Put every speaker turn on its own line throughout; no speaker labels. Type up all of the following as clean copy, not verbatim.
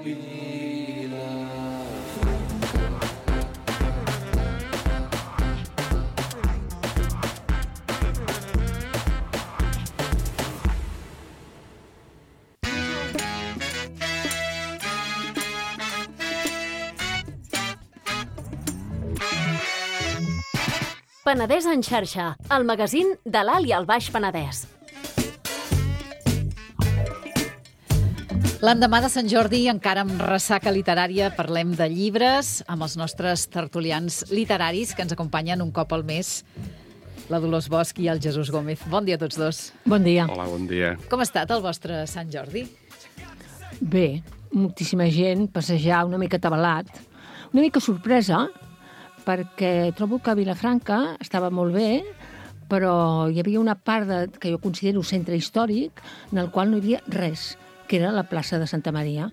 Penedès en xarxa, el magazín de l'Alt i el Baix Penedès.
L'endemà de Sant Jordi, encara amb ressaca literària, parlem de llibres amb els nostres tertulians literaris que ens acompanyen un cop al mes, la Dolors Bosch i el Jesús Gómez. Bon dia a tots dos.
Bon dia.
Hola, bon dia.
Com ha estat el vostre Sant Jordi?
Bé, moltíssima gent, passejar una mica atabalat, una mica sorpresa, perquè trobo que Vilafranca estava molt bé, però hi havia una part que jo considero centre històric en el qual no hi havia res, que era la plaça de Santa Maria.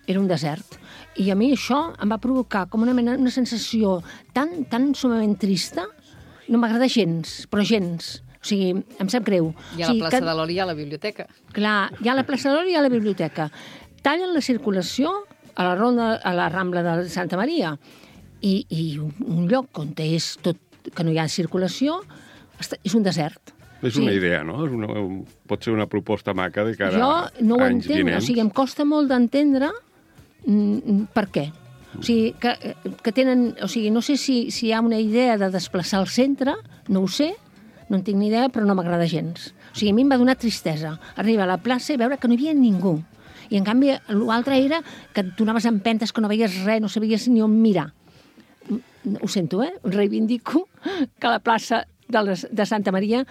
Era un desert. I a mi això em va provocar com una sensació tan sumament trista. No m'agrada gens, però gens. O sigui, em sap greu.
I a la plaça de l'Oli i a la biblioteca.
Clar, hi ha la plaça de l'Oli i a la biblioteca. Tallen la circulació a la Rambla de Santa Maria. I un lloc on és tot, que no hi ha circulació, és un desert.
És una idea, no? Pot ser una proposta maca de cara a anys vinents.
Jo no ho entenc, o sigui, em costa molt d'entendre per què. O sigui, que tenen... O sigui, no sé si hi ha una idea de desplaçar el centre, no ho sé, no en tinc ni idea, però no m'agrada gens. O sigui, a mi em va donar tristesa arribar a la plaça i veure que no hi havia ningú. I, en canvi, l'altre era que tu anaves amb empentes, que no veies res, no sabies ni on mirar. Ho sento, reivindico que la plaça de Santa Maria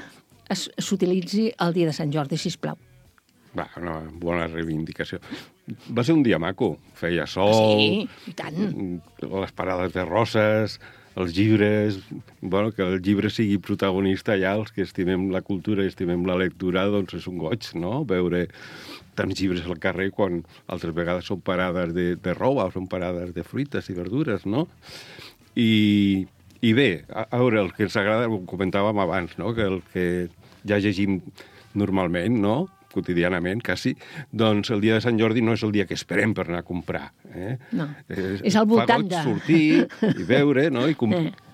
s'utilitzi el dia de Sant Jordi, sisplau.
Va, una bona reivindicació. Va ser un dia maco. Feia sol,
sí, i tant.
Les parades de roses, els llibres... Bueno, que el llibre sigui protagonista allà, els que estimem la cultura i estimem la lectura, doncs és un goig, no?, veure tants llibres al carrer quan altres vegades són parades de roba o són parades de fruites i verdures, no? I bé, a veure, el que ens agrada, ho comentàvem abans, no?, que el que ja llegim normalment, no?, quotidianament, quasi, doncs el dia de Sant Jordi no és el dia que esperem per anar a comprar.
No, és al voltant de...
Fa goig sortir i veure, no?, i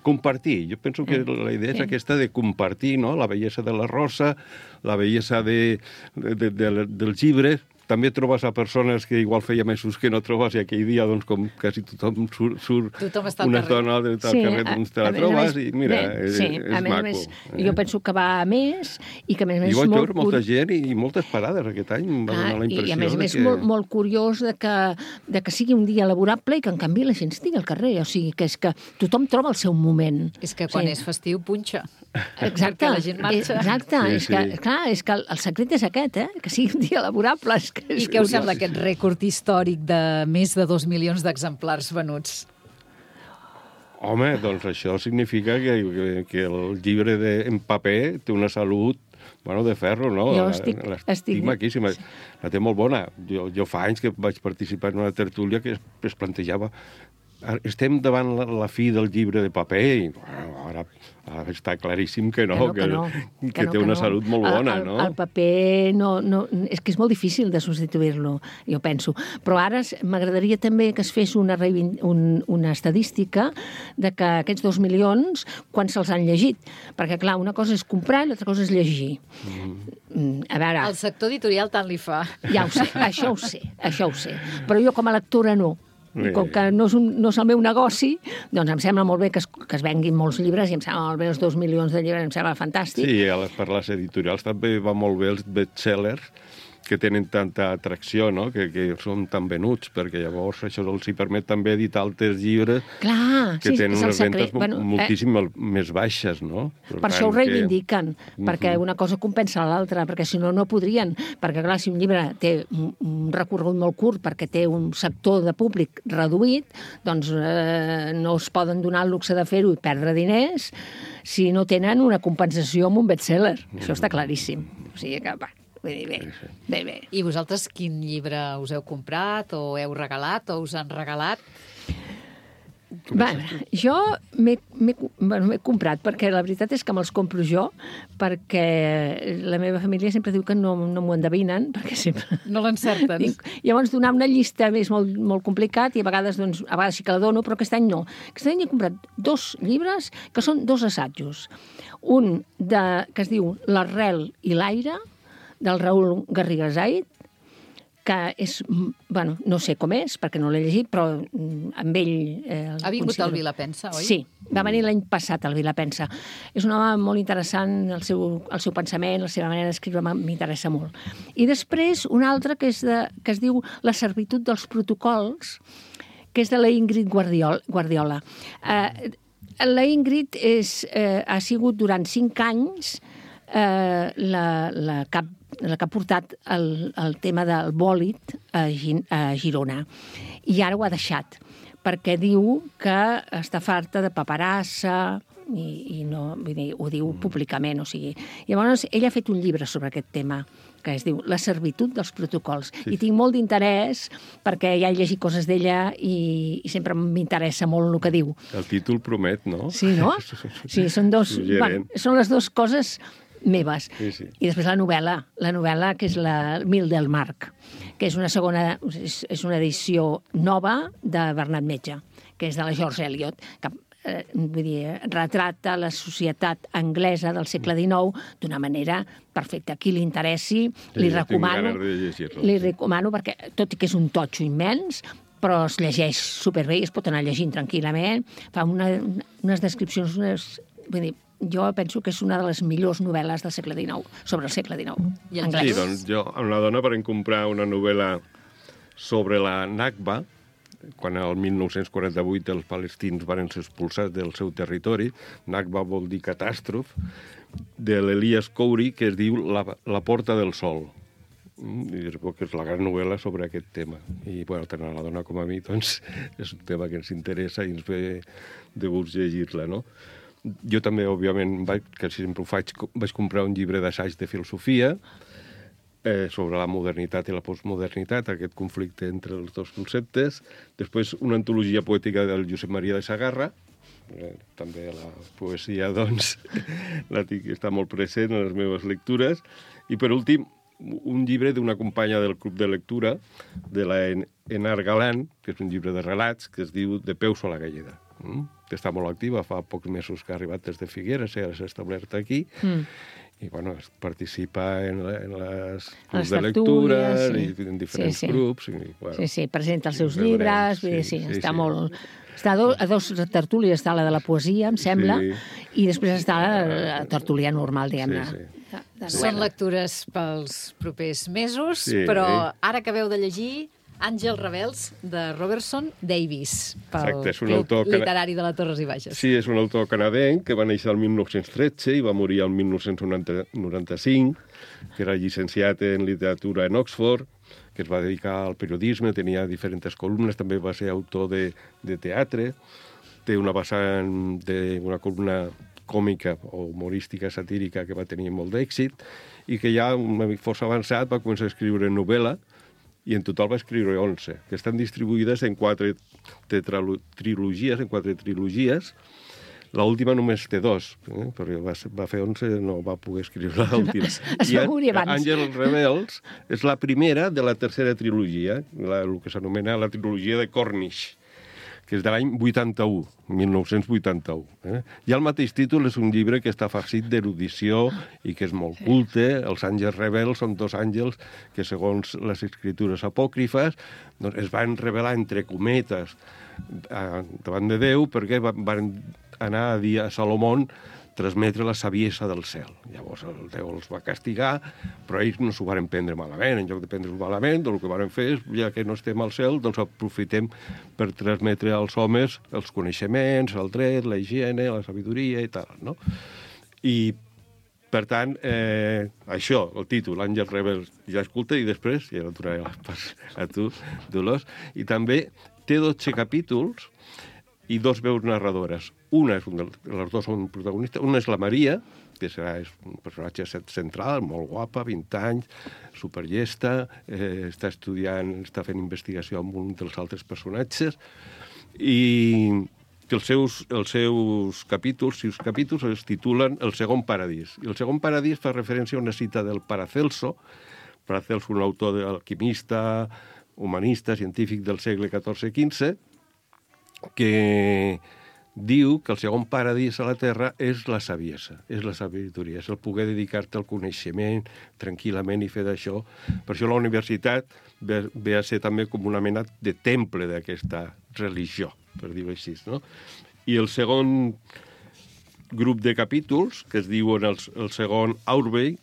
compartir. Jo penso que la idea és aquesta de compartir, no?, la bellesa de la rosa, la bellesa dels llibres. També trobes a persones que igual feia mesos que no trobes i aquell dia, doncs, com quasi tothom surt una estona del carrer, doncs te la trobes i mira, és maco.
Jo penso que va a més i que a més
és molt... I vaig veure molta gent i moltes parades aquest any, em va donar la impressió.
I a més és molt curiós de que sigui un dia laborable i que en canvi la gent estigui al carrer, o sigui, que és que tothom troba el seu moment.
És que quan és festiu punxa.
Exacte.
Perquè la gent marxa.
Exacte. És que el secret és aquest, que sigui un dia laborable.
I què us sembla aquest rècord històric de més de 2 milions d'exemplars venuts?
Home, doncs això significa que el llibre en paper té una salut, bueno, de ferro, no?
Jo estic
maquíssima. La té molt bona. Jo fa anys que vaig participar en una tertúlia que es plantejava estem davant la fi del llibre de paper i ara està claríssim que té una salut molt bona, no?
El paper és que és molt difícil de substituir-lo, jo penso. Però ara m'agradaria també que es fes una estadística de que aquests 2 milions, quan se'ls han llegit. Perquè, clar, una cosa és comprar i l'altra cosa és llegir. A veure...
El sector editorial tant li fa.
Ja ho sé, això ho sé. Però jo com a lectora no. I com que no és el meu negoci, doncs em sembla molt bé que es venguin molts llibres i em sembla molt bé els 2 milions de llibres, em sembla fantàstic.
Sí, per les editorials també va molt bé els bestsellers que tenen tanta atracció, no?, que són tan venuts, perquè llavors això els hi permet també editar altres llibres que tenen unes ventes moltíssim més baixes, no?
Per això ho reivindiquen, perquè una cosa compensa l'altra, perquè si no, no podrien. Perquè, clar, si un llibre té un recorregut molt curt perquè té un sector de públic reduït, doncs no es poden donar el luxe de fer-ho i perdre diners si no tenen una compensació amb un bestseller. Això està claríssim. O sigui que, va, bé.
I vosaltres quin llibre us heu comprat o heu regalat o us han regalat?
Jo m'he comprat, perquè la veritat és que me'ls compro jo, perquè la meva família sempre diu que no m'ho endevinen, perquè sempre...
No l'encerten.
Llavors, donar una llista és molt, molt complicat i a vegades sí que la dono, però aquest any no. Aquest any he comprat 2 llibres que són 2 assajos. Un que es diu L'arrel i l'aire, del Raül Garriga Zaid, que és, bueno, no sé com és, perquè no l'he llegit, però amb ell...
Ha vingut al Vilapensa, oi?
Sí, va venir l'any passat al Vilapensa. És un home molt interessant, el seu pensament, la seva manera d'escriure m'interessa molt. I després un altre que es diu La servitud dels protocols, que és de la Ingrid Guardiola. La Ingrid ha sigut durant 5 anys la que ha portat el tema del bòlit a Girona. I ara ho ha deixat, perquè diu que està farta de paperassa i no, vull dir, ho diu públicament. O sigui. Llavors, ella ha fet un llibre sobre aquest tema, que es diu La servitud dels protocols. Sí. I tinc molt d'interès, perquè ja he llegit coses d'ella i sempre m'interessa molt el que diu.
El títol promet, no?
Sí, no? Sí, són són les 2 coses meves.
Sí, sí.
I després la novel·la que és la Mil del Marc, que és una edició nova de Bernat Metge, que és de la George Eliot, que vull dir, retrata la societat anglesa del segle XIX d'una manera perfecta. A qui li interessi, li recomano, perquè tot i que és un totxo immens, però es llegeix superbé i es pot anar llegint tranquil·lament. Fa unes descripcions, vull dir, jo penso que és una de les millors novel·les del segle XIX, sobre el segle XIX, anglès.
Sí, doncs jo amb la dona vam comprar una novel·la sobre la Nakba, quan el 1948 els palestins van ser expulsats del seu territori. Nakba vol dir catàstrof, de l'Elias Khoury, que es diu La porta del sol. I és la gran novel·la sobre aquest tema. I, bueno, tant a la dona com a mi, doncs, és un tema que ens interessa i ens ve de gust llegir-la, no? Jo també, òbviament, que sempre ho faig, vaig comprar un llibre d'assaig de filosofia sobre la modernitat i la postmodernitat, aquest conflicte entre els 2 conceptes. Després, una antologia poètica del Josep Maria de Sagarra. També la poesia, doncs, està molt present en les meves lectures. I, per últim, un llibre d'una companya del club de lectura, de la Enar Galán, que és un llibre de relats, que es diu De peus a la galleda, que està molt activa, fa pocs mesos que ha arribat des de Figueres, s'ha establert aquí, i bueno, participa en les clubs de lectura i en diferents grups. I, bueno,
sí, presenta els seus llibres, està molt... Està a 2 tertúlies, està la de la poesia, em sembla, i després està la tertúlia normal, diguem-ne.
Són lectures pels propers mesos, però ara acabeu de llegir Àngels rebels, de Robertson Davies, pel Club Literari de la Torres i Baixes.
Sí, és un autor canadenc que va néixer el 1913 i va morir el 1995, que era llicenciat en literatura en Oxford, que es va dedicar al periodisme, tenia diferents columnes, també va ser autor de teatre, té una vessant d'una columna còmica o humorística, satírica, que va tenir molt d'èxit, i que ja, força avançat, va començar a escriure novel·la, i en total va escriure 11, que estan distribuïdes en 4 trilogies, L'última només té 2, perquè va fer 11, no va poder escriure l'última.
Es va morir abans.
Àngels rebels és la primera de la tercera trilogia, el que s'anomena la trilogia de Cornish, que és de l'any 81, 1981. I el mateix títol és un llibre que està farcit d'erudició i que és molt culte. Els àngels rebels són 2 àngels que, segons les escritures apòcrifes, doncs es van revelar entre cometes davant de Déu perquè van anar a dir a Salomón transmetre la saviesa del cel. Llavors el Déu els va castigar, però ells no s'ho van prendre malament. En lloc de prendre-ho malament, el que van fer és, ja que no estem al cel, doncs aprofitem per transmetre als homes els coneixements, el dret, la higiene, la sabidoria i tal, no? I, per tant, això, el títol, Àngels rebels, ja escolta, i després, ja el donaré a tu, Dolors, i també té 12 capítols i 2 veus narradores. Les 2 són protagonistes. Una és la Maria, que és un personatge central, molt guapa, 20 anys, superllesta, està estudiant, està fent investigació amb un dels altres personatges, i que els seus capítols es titulen El segon paradís. I el segon paradís fa referència a una cita del Paracelso, un autor alquimista, humanista, científic del segle XIV-XV, que diu que el segon paradís a la Terra és la saviesa, és la sabidoria, és el poder dedicar-te al coneixement tranquil·lament i fer d'això. Per això la universitat ve a ser també com una mena de temple d'aquesta religió, per dir-ho així, no? I el segon grup de capítols, que es diuen el segon Aubrey,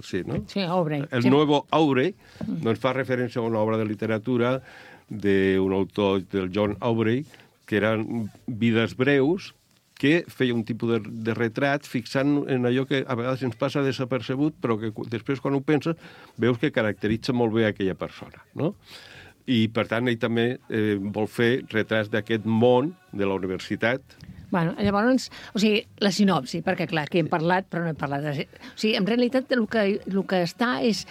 Sí, Aubrey.
El Nuevo Aubrey, doncs fa referència a una obra de literatura d'un autor, del John Aubrey, que eren vides breus, que feia un tipus de retrat fixant en allò que a vegades ens passa desapercebut, però que després, quan ho penses, veus que caracteritza molt bé aquella persona, no? I, per tant, ell també vol fer retrats d'aquest món de la universitat.
Bueno, llavors, la sinopsi, perquè, clar, aquí hem parlat, però no hem parlat de... en realitat, el que està és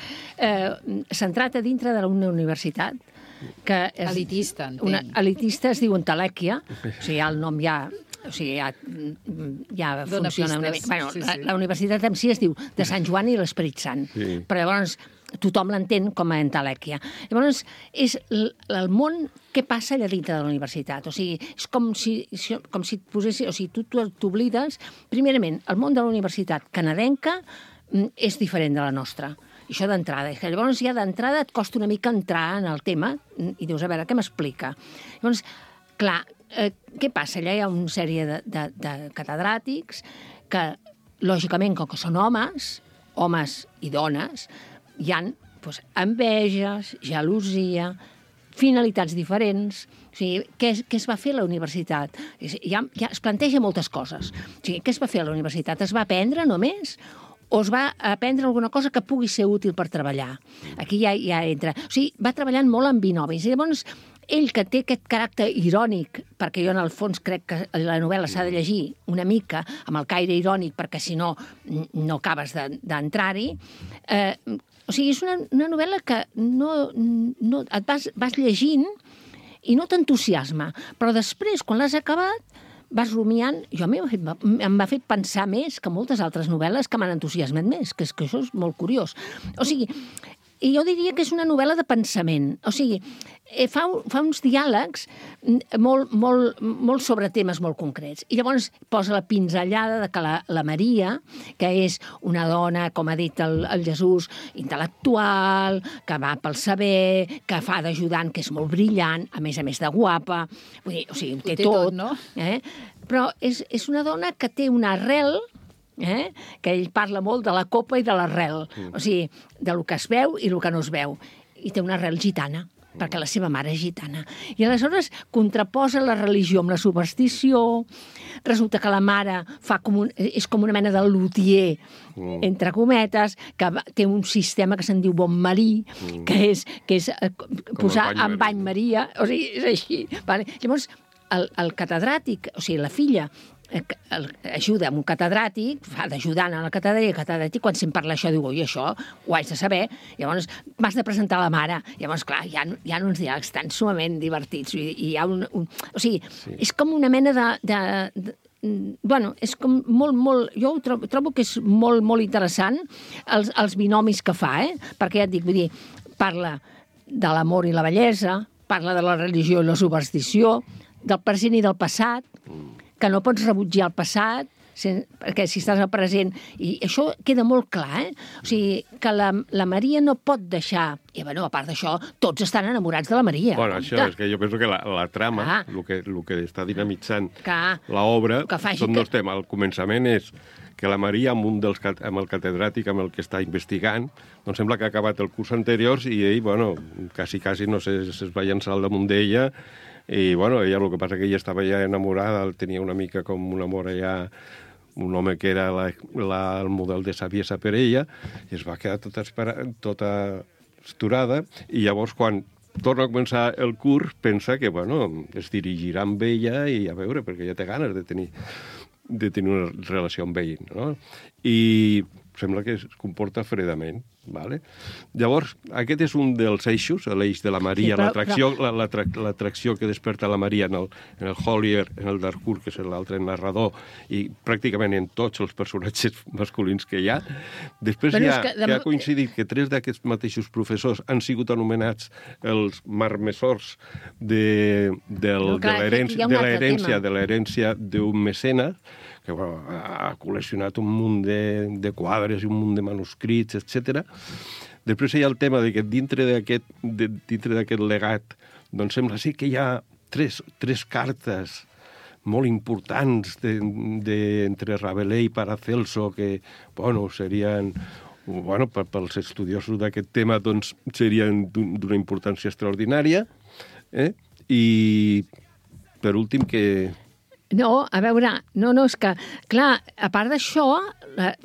centrat a dintre d'una universitat, que és
elitista, entenc.
Elitista es diu Entelèquia, el nom ja
dona
funciona una
pistes.
mica. Bueno,
sí.
La universitat en si es diu de Sant Joan i l'Esperit Sant, però llavors tothom l'entén com a Entelèquia. Llavors, és el món que passa allà dintre de la universitat. És com si et posessis... tu t'oblides... Primerament, el món de la universitat canadenca és diferent de la nostra. Això d'entrada. Llavors, ja d'entrada et costa una mica entrar en el tema i dius, a veure, què m'explica? Llavors, clar, què passa? Allà hi ha una sèrie de catedràtics que, lògicament, com que són homes i dones, hi ha enveges, gelosia, finalitats diferents. Què es va fer a la universitat? Ja es planteja moltes coses. Què es va fer a la universitat? Es va aprendre només? O es va aprendre alguna cosa que pugui ser útil per treballar? Aquí ja entra. Va treballant molt amb binomis. I llavors, ell, que té aquest caràcter irònic, perquè jo en el fons crec que la novel·la s'ha de llegir una mica amb el caire irònic, perquè si no, no acabes d'entrar-hi, és una novel·la que no et vas llegint i no t'entusiasma, però després, quan l'has acabat, vas rumiant. Jo a mi em va fer pensar més que moltes altres novel·les que m'han entusiasmat més, que això és molt curiós. I jo diria que és una novel·la de pensament. Fa uns diàlegs molt sobre temes molt concrets. I llavors posa la pinzellada de que la Maria, que és una dona, com ha dit el Jesús, intel·lectual, que va pel saber, que fa d'ajudant, que és molt brillant, a més de guapa, ho té tot,
no?
Però és una dona que té una arrel, que ell parla molt de la copa i de l'arrel, de lo que es veu i el que no es veu. I té una arrel gitana, perquè la seva mare és gitana. I aleshores contraposa la religió amb la superstició. Resulta que la mare és com una mena de lutier, entre cometes, que té un sistema que se'n diu bon marí, que és posar en bany Maria. És així. Llavors, el catedràtic, la filla, ajuda amb un catedràtic, fa d'ajudant a la catedràtic, quan se'n parla això, diu, oi, això ho haig de saber, llavors m'has de presentar la mare. Llavors, clar, hi ha uns diàlegs tan sumament divertits, i hi ha és com una mena és com molt... Jo trobo que és molt interessant els binomis que fa, perquè ja et dic, vull dir, parla de l'amor i la bellesa, parla de la religió i la superstició, del present i del passat, que no pots rebutjar el passat, perquè si estàs al present... I això queda molt clar, que la Maria no pot deixar... I, a part d'això, tots estan enamorats de la Maria.
Bueno, això és que jo penso que la trama, el que està dinamitzant l'obra, són dos temes. El començament és que la Maria, amb el catedràtic amb el que està investigant, doncs sembla que ha acabat el curs anterior i ell, quasi, no sé, es va llançar al damunt d'ella. I, ella, el que passa que ella estava ja enamorada, tenia una mica com un amor allà, un home que era el model de saviesa per ella, i es va quedar tota esturada, i llavors, quan torna a començar el curs, pensa que, es dirigirà amb ella i a veure, perquè ja té ganes de tenir una relació amb ell, no? I sembla que es comporta fredament. Vale? Llavors, aquest és un dels eixos, l'eix de la Maria, l'atracció que desperta la Maria en el Hollier, en el Darcourt, que és l'altre narrador, i pràcticament en tots els personatges masculins que hi ha. Després que ha coincidit que 3 d'aquests mateixos professors han sigut anomenats els marmessors de l'herència d'un mecenes, que ha col·leccionat un munt de quadres i un munt de manuscrits, etc. Després hi ha el tema de que dintre d'aquest legat doncs sembla ser que hi ha tres cartes molt importants entre Rabelais i Paracelso que, serien... pels estudiosos d'aquest tema, doncs, serien d'una importància extraordinària. I, per últim, que...
No, a veure, és que, clar, a part d'això,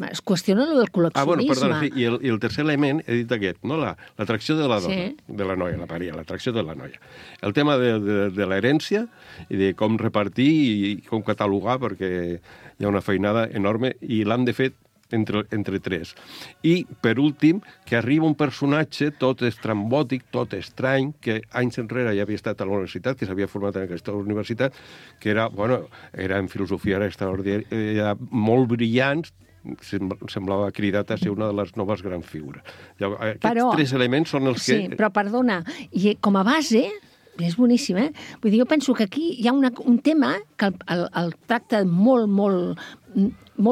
es qüestiona el del col·leccionisme.
Perdona, sí, i el tercer element, he dit aquest, no? L'atracció de la dona, de la noia, la Maria, l'atracció de la noia. El tema de l'herència i de com repartir i com catalogar, perquè hi ha una feinada enorme i l'han de fer entre 3. I, per últim, que arriba un personatge tot estrambòtic, tot estrany, que anys enrere ja havia estat a la universitat, que s'havia format en aquesta universitat, que era en filosofia, era extraordinari, era molt brillant, semblava cridat a ser una de les noves grans figures. Aquests 3 elements són els que...
Sí, però perdona, i com a base... És boníssim, eh? Vull dir, jo penso que aquí hi ha un tema que el tracta molt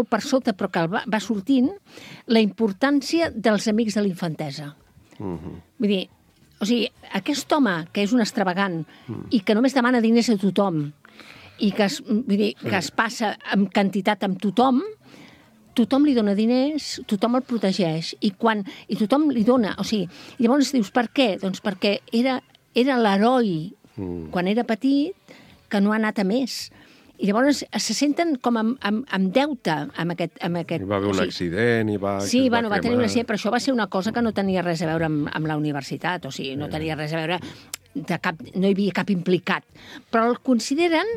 per sota, però que va sortint, la importància dels amics de l'infantesa. Vull dir, aquest home, que és un extravagant i que només demana diners a tothom i que es passa amb quantitat amb tothom li dona diners, tothom el protegeix i tothom li dona... llavors dius, per què? Doncs perquè era l'heroi, quan era petit, que no ha anat a més. I llavors se senten com amb deute amb aquest...
I va haver un accident i va...
Sí, va tenir un accident, però això va ser una cosa que no tenia res a veure amb la universitat, no tenia res a veure, no hi havia cap implicat. Però el consideren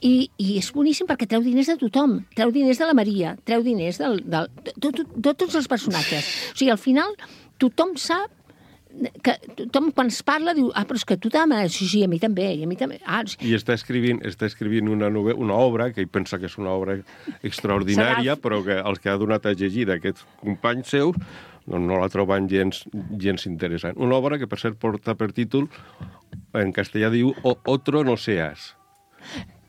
i és boníssim perquè treu diners de tothom, treu diners de la Maria, treu diners de tots els personatges. Al final, tothom sap que tothom quan es parla diu, però és que tu t'ames, sí, a mi també.
I està escrivint una obra que ell pensa que és una obra extraordinària, però que els que ha donat a llegir d'aquests companys seus no la troben gens interessant. Una obra que, per cert, porta per títol, en castellà diu Otro no seas,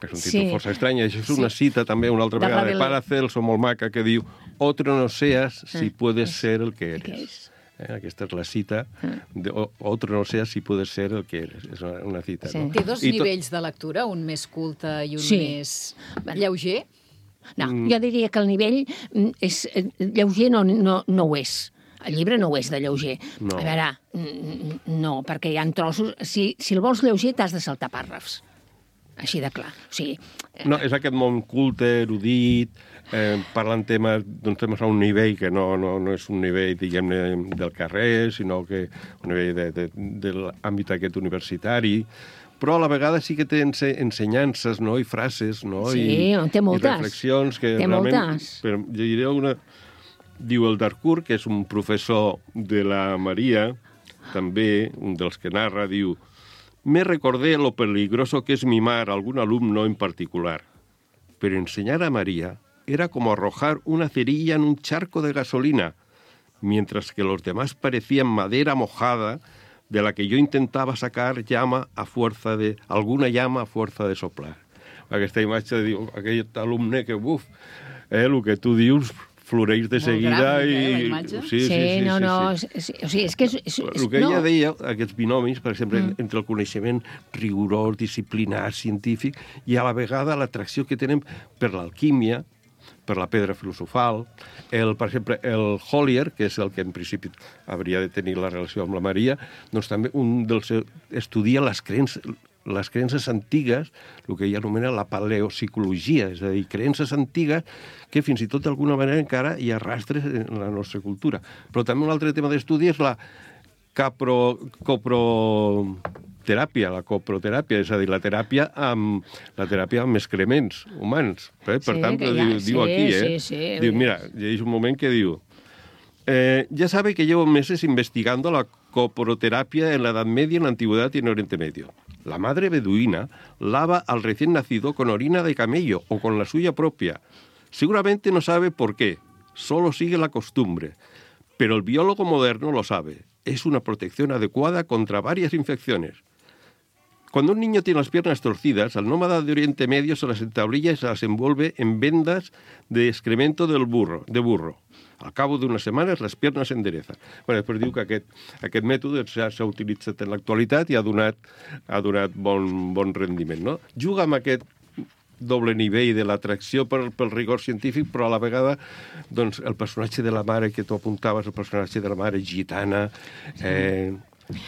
que és un títol força estrany. Això és una cita també, una altra vegada, de Paracelso, molt maca, que diu Otro no seas si puedes ser el que eres. Aquesta és la cita de Otro no seas si puedes ser el que eres. És una cita.
Sí. No? Té 2 nivells de lectura, un més culte i un més lleuger?
No, jo diria que el nivell és lleuger no ho és. El llibre no ho és de lleuger.
No.
A veure, no, perquè hi ha trossos... Si el vols lleuger, t'has de saltar pàrrafs. Així de clar.
No, és aquest món culte, erudit, parlant temes a un nivell que no és un nivell, diguem-ne, del carrer, sinó que un nivell de l'àmbit aquest universitari, però a la vegada sí que té ensenyances, no?, i frases, no?,
i
reflexions que realment... Llegiré una... Diu el Darcourt, que és un professor de la Maria, també, un dels que narra, diu: me recordé lo peligroso que es mimar a algún alumno en particular. Pero enseñar a María era como arrojar una cerilla en un charco de gasolina, mientras que los demás parecían madera mojada de la que yo intentaba sacar alguna llama a fuerza de soplar. Aquesta imatge diu, aquell alumne que, el que tu dius... floreix de seguida i...
Sí, és que...
El que ella deia, aquests binomis, per exemple, entre el coneixement rigorós, disciplinat, científic, i a la vegada l'atracció que tenen per l'alquímia, per la pedra filosofal, per exemple, el Hollier, que és el que en principi hauria de tenir la relació amb la Maria, doncs també estudia les creences antigues, el que ella anomena la paleopsicologia, és a dir, creences antigues que fins i tot d'alguna manera encara hi ha rastres en la nostra cultura. Però també un altre tema d'estudi és la coproteràpia, és a dir, la teràpia amb excrements humans. Per tant, diu aquí, diu, mira, hi ha un moment que diu, Ya sabe que llevo meses investigando la coproterapia en la Edad Media, en la Antigüedad y en Oriente Medio. La madre beduina lava al recién nacido con orina de camello o con la suya propia. Seguramente no sabe por qué, solo sigue la costumbre. Pero el biólogo moderno lo sabe. Es una protección adecuada contra varias infecciones. Cuando un niño tiene las piernas torcidas, al nómada de Oriente Medio se las entablilla y se las envuelve en vendas de excremento de burro. Al cabo d'unes setmanes, les piernes s'enderezan. Després diu que aquest mètode s'ha utilitzat en l'actualitat i ha donat bon rendiment. No? Juga amb aquest doble nivell de l'atracció pel rigor científic, però a la vegada doncs, el personatge de la mare que tu apuntaves, el personatge de la mare gitana...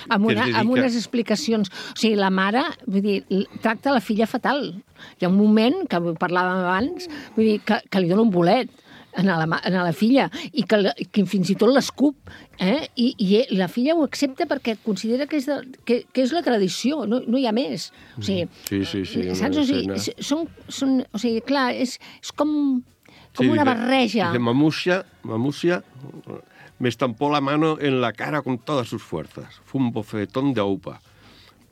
Amb unes explicacions. O sigui, la mare, vull dir, tracta la filla fatal. Hi ha un moment, que parlàvem abans, vull dir, que li dona un bolet a la filla i que fins i tot l'escup. I la filla ho accepta perquè considera que és la tradició, no hi ha més. O sigui,
sí,
saps? O sigui, clar, és com una barreja.
Dice, Mamusia me estampó la mano en la cara con todas sus fuerzas. Fue un bofetón de aupa.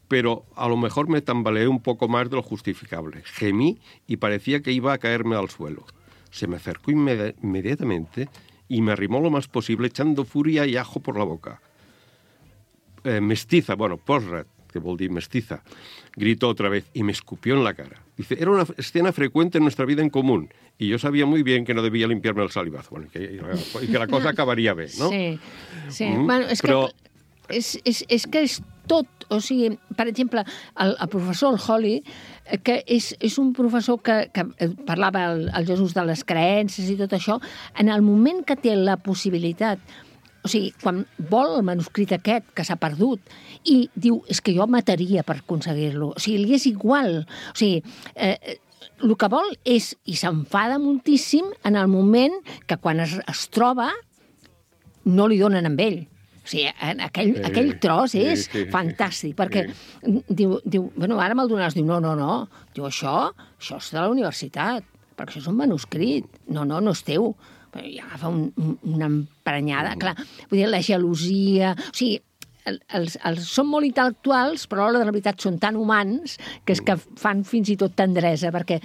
Pero a lo mejor me tambaleé un poco más de lo justificable. Gemí y parecía que iba a caerme al suelo. Se me acercó inmediatamente y me arrimó lo más posible echando furia y ajo por la boca. Mestiza, Posrat, que vol dir mestiza, gritó otra vez y me escupió en la cara. Dice, era una escena frecuente en nuestra vida en común y yo sabía muy bien que no debía limpiarme el salivazo y que la cosa acabaria bé, no?
Sí. Bueno, és que és tot. O sigui, per exemple, el professor Holly, que és un professor que parlava el Jesús de les creences i tot això, en el moment que té la possibilitat, o sigui, quan vol el manuscrit aquest, que s'ha perdut, i diu, és que jo mataria per aconseguir-lo. O sigui, li és igual. O sigui, el que vol és, i s'enfada moltíssim en el moment que quan es troba no li donen amb ell. O sigui, aquell tros és fantàstic, perquè diu, bueno, ara me'l donaràs. Diu, no. Diu, això és de la universitat, perquè això és un manuscrit. No és teu. I agafa una emprenyada. Clar, vull dir, la gelosia... O sigui, són molt intel·lectuals, però a l'hora de la veritat són tan humans que és que fan fins i tot tendresa, perquè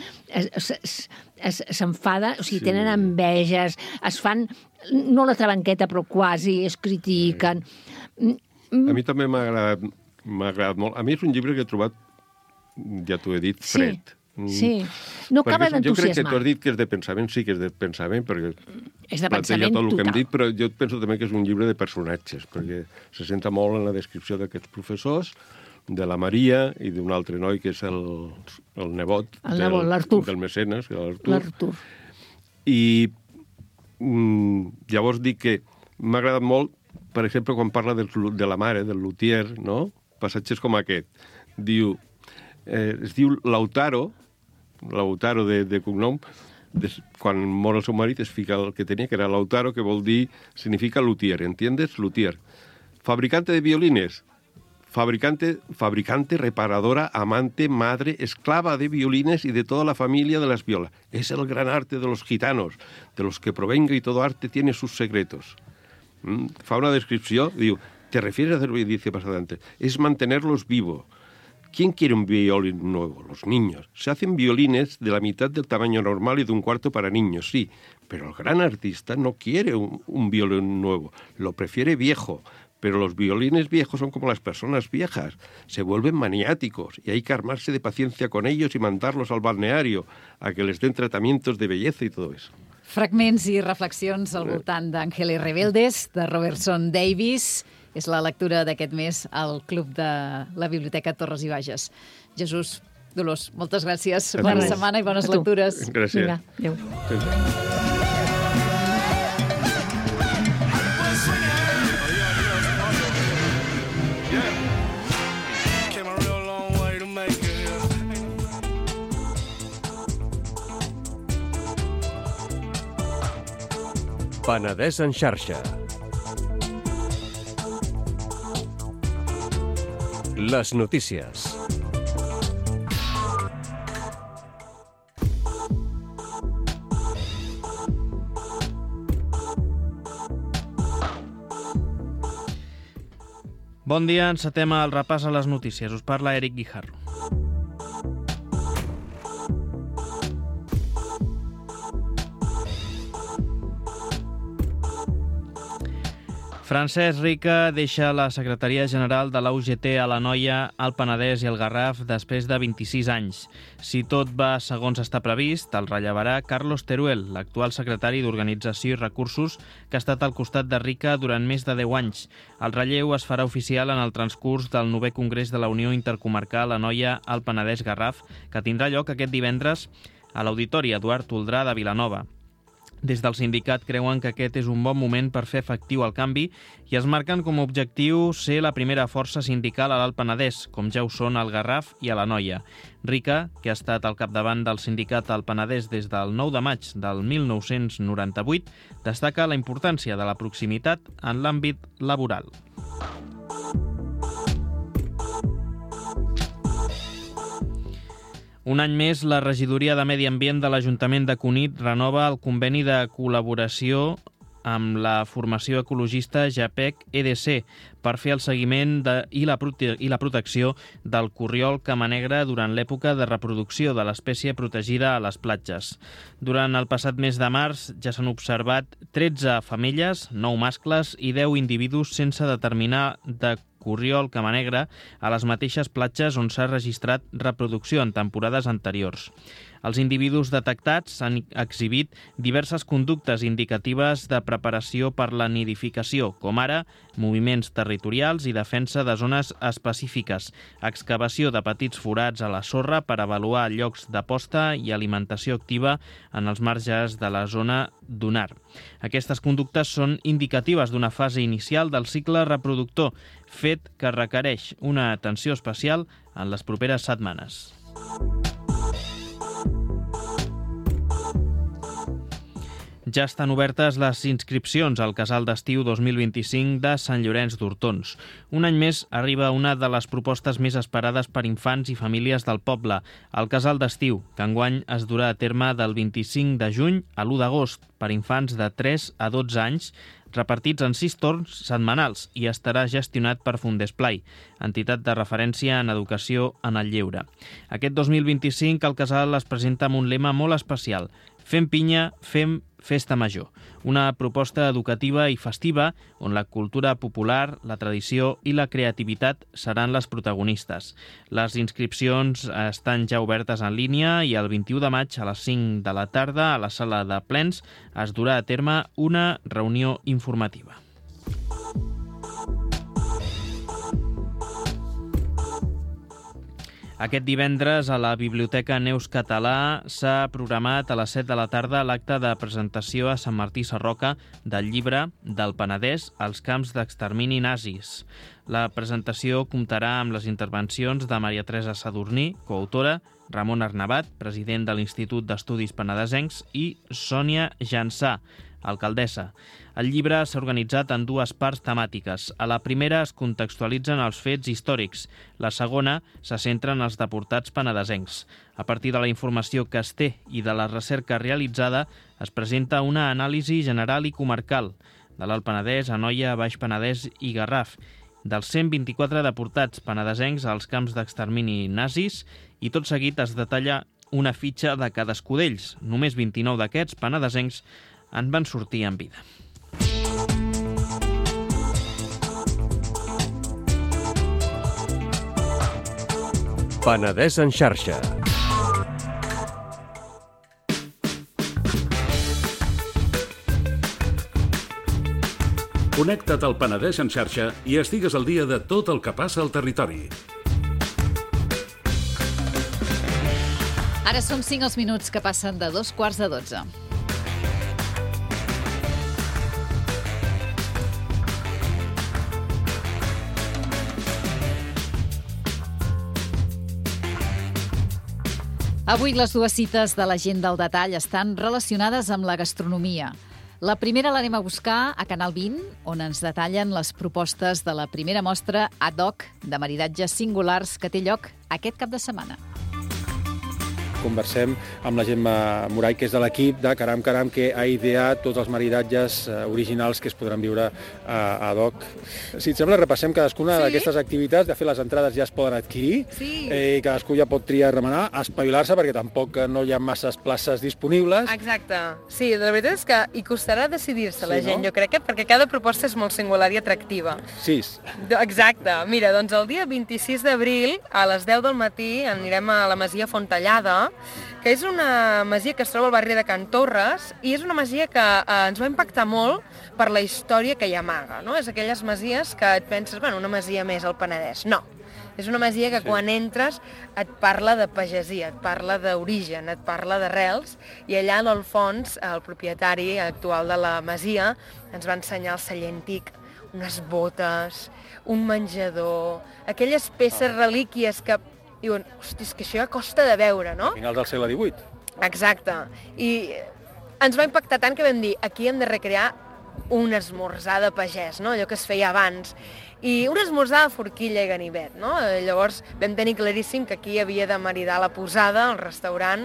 s'enfada, o sigui, tenen enveges, es fan, no la trabanqueta, però quasi, es critiquen.
A mi també m'ha agradat molt. A mi és un llibre que he trobat, ja t'ho he dit, fred.
Sí, no acaba d'entusiasmar.
Jo crec que tu has dit que és de pensament, sí que és de pensament, perquè
és de pensament
tot el que hem
total.
dit, però jo penso també que és un llibre de personatges, perquè se senta molt en la descripció d'aquests professors, de la Maria i d'un altre noi que és el nebot del mecenes, l'Artur. I llavors dic que m'ha agradat molt, per exemple, quan parla de la mare, del luthier, no? Passatges com aquest. Es diu Lautaro de cognom, quan mor el seu marit es fica el que tenia, que era Lautaro, que vol dir, significa luthier, ¿entiendes? Luthier. Fabricante de violines, fabricante, reparadora, amante, madre, esclava de violines y de toda la familia de las violas. Es el gran arte de los gitanos, de los que provenga y todo arte tiene sus secretos. Fa una descripció, diu, te refieres a hacer, dice más adelante, es mantenerlos vivos. ¿Quién quiere un violín nuevo? Los niños. Se hacen violines de la mitad del tamaño normal y de un cuarto para niños, sí. Pero el gran artista no quiere un violín nuevo. Lo prefiere viejo. Pero los violines viejos son como las personas viejas. Se vuelven maniáticos y hay que armarse de paciencia con ellos y mandarlos al balneario a que les den tratamientos de belleza y todo eso.
Fragments i reflexions al voltant d'Ángeles Rebeldes, de Robertson Davies. És la lectura d'aquest mes al Club de la Biblioteca Torres i Bages. Jesús, Dolors, moltes gràcies. Bona setmana i bones lectures.
Gràcies.
Vinga, adéu.
Penedès en xarxa. Les notícies.
Bon dia, encetem el repàs a les notícies. Us parla Eric Guijarro. Francesc Rica deixa la secretaria general de la UGT a l'Anoia, el Penedès i el Garraf després de 26 anys. Si tot va segons està previst, el rellevarà Carlos Teruel, l'actual secretari d'Organització i Recursos, que ha estat al costat de Rica durant més de 10 anys. El relleu es farà oficial en el transcurs del 9è Congrés de la Unió Intercomarcal Anoia, el Penedès Garraf, que tindrà lloc aquest divendres a l'Auditori Eduard Toldrà de Vilanova. Des del sindicat creuen que aquest és un bon moment per fer efectiu el canvi i es marquen com a objectiu ser la primera força sindical a l'Alt Penedès, com ja ho són al Garraf i a l'Anoia. Rica, que ha estat al capdavant del sindicat al Penedès des del 9 de maig del 1998, destaca la importància de la proximitat en l'àmbit laboral. Un any més, la regidoria de Medi Ambient de l'Ajuntament de Cunit renova el conveni de col·laboració amb la formació ecologista JAPEC-EDC per fer el seguiment i la protecció del corriol camanegre durant l'època de reproducció de l'espècie protegida a les platges. Durant el passat mes de març ja s'han observat 13 femelles, 9 mascles i 10 individus sense determinar de corriol camanegre a les mateixes platges on s'ha registrat reproducció en temporades anteriors. Els individus detectats han exhibit diverses conductes indicatives de preparació per la nidificació, com ara moviments territorials i defensa de zones específiques, excavació de petits forats a la sorra per avaluar llocs de posta i alimentació activa en els marges de la zona dunar. Aquestes conductes són indicatives d'una fase inicial del cicle reproductor, fet que requereix una atenció especial en les properes setmanes. Ja estan obertes les inscripcions al Casal d'Estiu 2025 de Sant Llorenç d'Hortons. Un any més arriba una de les propostes més esperades per infants i famílies del poble, el Casal d'Estiu, que enguany es durà a terme del 25 de juny a l'1 d'agost per infants de 3 a 12 anys, repartits en 6 torns setmanals i estarà gestionat per Fundesplai, entitat de referència en educació en el lleure. Aquest 2025 el casal es presenta amb un lema molt especial: Fem pinya, fem festa major. Una proposta educativa i festiva on la cultura popular, la tradició i la creativitat seran les protagonistes. Les inscripcions estan ja obertes en línia i el 21 de maig a les 5 de la tarda a la sala de plens es durà a terme una reunió informativa. Aquest divendres a la Biblioteca Neus Català s'ha programat a les 7 de la tarda l'acte de presentació a Sant Martí Sarroca del llibre del Penedès als camps d'extermini nazis. La presentació comptarà amb les intervencions de Maria Teresa Sadurní, coautora, Ramon Arnabat, president de l'Institut d'Estudis Penedesencs, i Sònia Jansà, alcaldessa. El llibre s'ha organitzat en 2 parts temàtiques. A la primera es contextualitzen els fets històrics. La segona se centra en els deportats penedesencs. A partir de la informació que es té i de la recerca realitzada, es presenta una anàlisi general i comarcal de l'Alt Penedès, Anoia, Baix Penedès i Garraf, dels 124 deportats penedesencs als camps d'extermini nazis, i tot seguit es detalla una fitxa de cadascú d'ells. Només 29 d'aquests penedesencs en van sortir en vida.
Penedès en xarxa.
Connecta't al Penedès en xarxa i estigues al dia de tot el que passa al territori.
Ara són 5 els minuts que passen de 11:45. Avui les 2 cites de la gent del detall estan relacionades amb la gastronomia. La primera l'anem a buscar a Canal 20, on ens detallen les propostes de la primera mostra ad hoc de maridatges singulars que té lloc aquest cap de setmana.
conversem amb la Gemma Moray, que és de l'equip de Caram Caram, que ha ideat tots els maridatges originals que es podran viure a DOC. Si et sembla, repassem cadascuna d'aquestes activitats. De fet, les entrades ja es poden adquirir, i cadascú ja pot triar, remenar, espavilar-se, perquè tampoc no hi ha masses places disponibles.
Exacte. Sí, la veritat és que hi costarà decidir-se la gent, jo crec, perquè cada proposta és molt singular i atractiva.
6.
Exacte. Mira, doncs el dia 26 d'abril, a les 10 del matí, anirem a la Masia Fontellada, que és una masia que es troba al barri de Can Torres, i és una masia que ens va impactar molt per la història que hi amaga, no? És aquelles masies que et penses, bueno, una masia més al Penedès. No. És una masia que quan entres et parla de pagesia, et parla d'origen, et parla d'arrels, i allà al fons el propietari actual de la masia ens va ensenyar el celler antic, unes botes, un menjador, aquelles peces relíquies que diuen, hosti, és que això ja costa de veure, no?
Finals del segle XVIII.
Exacte. I ens va impactar tant que vam dir, aquí hem de recrear un esmorzar de pagès, no? Allò que es feia abans. I un esmorzar de forquilla i ganivet, no? Llavors vam tenir claríssim que aquí havia de maridar la posada, el restaurant,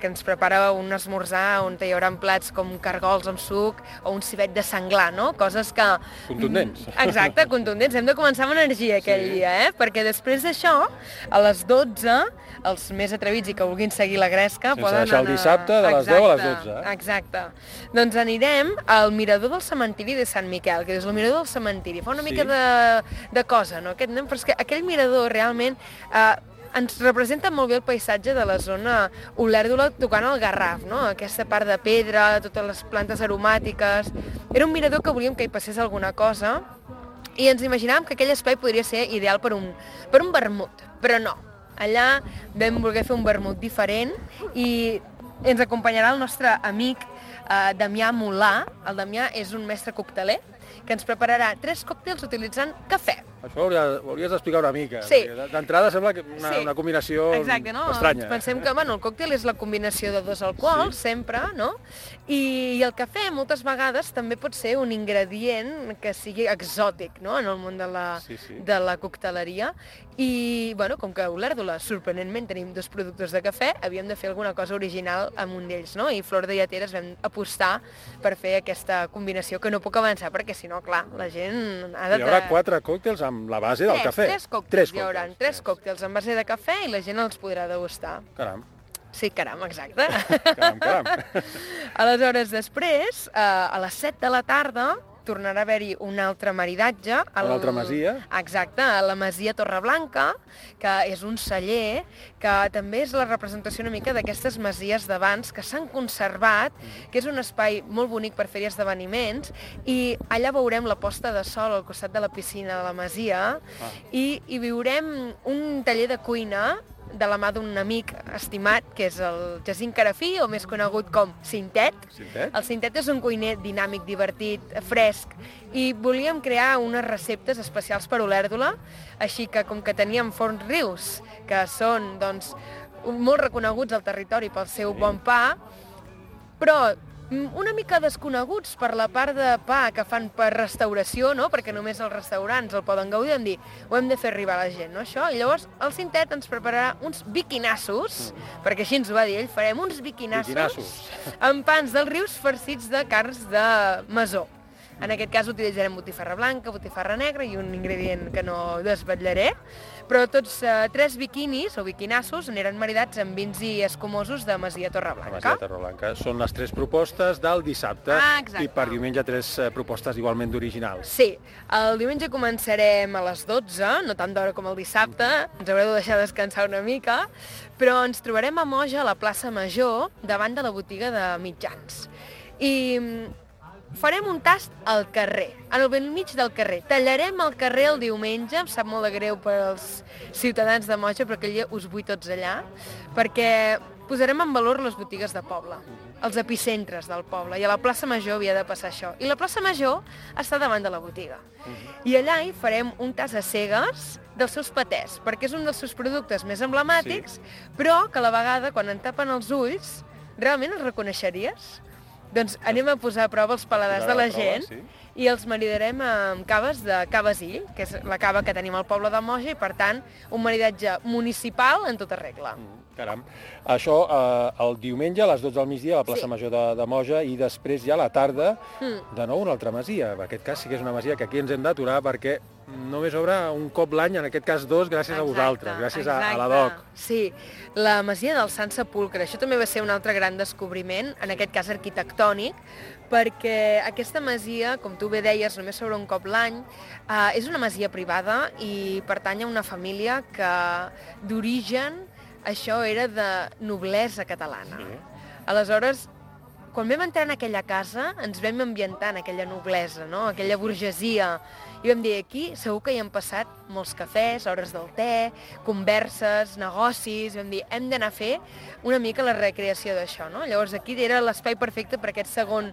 que ens prepara un esmorzar on hi haurà plats com cargols amb suc o un civet de senglar, no? Coses que...
Contundents.
Exacte, contundents. Hem de començar amb energia aquell dia, perquè després d'això, a les 12, els més atrevits i que vulguin seguir la gresca poden anar...
Sense deixar el dissabte de les 10 a les 12.
Exacte. Doncs anirem al mirador del cementiri de Sant Miquel, que és el mirador del cementiri. Fa una mica de cosa, no? Però és que aquell mirador realment ens representa molt bé el paisatge de la zona Olèrdola tocant el Garraf, no? Aquesta part de pedra, totes les plantes aromàtiques... Era un mirador que volíem que hi passés alguna cosa i ens imaginàvem que aquell espai podria ser ideal per un vermut, però no. Allà vam voler fer un vermut diferent i ens acompanyarà el nostre amic Damià Molà. El Damià és un mestre cocteler que ens prepararà 3 còctels utilitzant cafè.
Això ho hauries d'explicar una mica.
Sí.
D'entrada sembla que una combinació estranya.
Pensem que el còctel és la combinació de 2 alcohols, sempre, no? I el cafè moltes vegades també pot ser un ingredient que sigui exòtic, no?, en el món de la cocteleria. I, com que a Olèrdola, sorprenentment, tenim 2 productors de cafè, havíem de fer alguna cosa original amb un d'ells, no? I Flor de Lleteres vam apostar per fer aquesta combinació, que no puc avançar, perquè si no, clar, la gent ha de...
Hi haurà 4 còctels amb la base del cafè.
3 còctels. Hi haurà 3 còctels amb base de cafè i la gent els podrà degustar.
Caram.
Sí, caram, exacte.
Caram.
Aleshores, després, a les 7 de la tarda, tornarà a haver-hi un altre maridatge.
Una altra masia.
Exacte, a la Masia Torreblanca, que és un celler, que també és la representació una mica d'aquestes masies d'abans que s'han conservat, que és un espai molt bonic per fer esdeveniments, i allà veurem la posta de sol al costat de la piscina de la masia, i viurem un taller de cuina de la mà d'un amic estimat, que és el Jacint Carafí, o més conegut com Cintet. El Cintet és un cuiner dinàmic, divertit, fresc, i volíem crear unes receptes especials per Olèrdola, així que com que teníem Forns Rius, que són molt reconeguts al territori pel seu bon pa, però una mica desconeguts per la part de pa que fan per restauració, no? Perquè només els restaurants el poden gaudir, hem dit, ho hem de fer arribar a la gent, no? Això. I llavors el Cintet ens prepararà uns biquinassos, perquè així ens ho va dir ell, farem uns biquinassos amb pans dels Rius farcits de carns de masó. En aquest cas utilitzarem botifarra blanca, botifarra negra i un ingredient que no desvetllaré, però tots 3 biquinis o biquinassos aniran maridats amb vins i escumosos de Masia Torreblanca.
Masia Torreblanca. Són les 3 propostes del dissabte i per diumenge 3 propostes igualment d'originals.
Sí, el diumenge començarem a les 12, no tant d'hora com el dissabte, ens haureu de deixar descansar una mica, però ens trobarem a Moja, a la plaça Major, davant de la botiga de mitjans. I farem un tast al carrer, al bell mig del carrer. Tallarem el carrer el diumenge, em sap molt de greu per als ciutadans de Moja, però aquell dia us vull tots allà, perquè posarem en valor les botigues de poble, els epicentres del poble, i a la plaça Major havia de passar això. I la plaça Major està davant de la botiga. I allà hi farem un tast a cegues dels seus patès, perquè és un dels seus productes més emblemàtics, però que a la vegada, quan en tapen els ulls, realment els reconeixeries? Doncs anem a posar a prova els paladars de la gent i els maridarem amb caves de Cavasil, que és la cava que tenim al poble de Moja, i per tant un maridatge municipal en tota regla.
Caram. Això el diumenge a les 12 del migdia a la plaça Major de Moja i després ja a la tarda de nou una altra masia. En aquest cas sí que és una masia que aquí ens hem d'aturar perquè només obre un cop l'any, en aquest cas dos, gràcies a vosaltres, gràcies a la DOC.
Sí, la masia del Sant Sepulcre. Això també va ser un altre gran descobriment, en aquest cas arquitectònic, perquè aquesta masia, com tu bé deies, només s'obre un cop l'any, és una masia privada i pertany a una família que d'origen això era de noblesa catalana. Aleshores, quan vam entrar en aquella casa, ens vam ambientar en aquella noblesa, no? Aquella burgesia, i vam dir, aquí segur que hi han passat molts cafès, hores del te, converses, negocis, vam dir, hem d'anar a fer una mica la recreació d'això, no? Llavors aquí era l'espai perfecte per aquest segon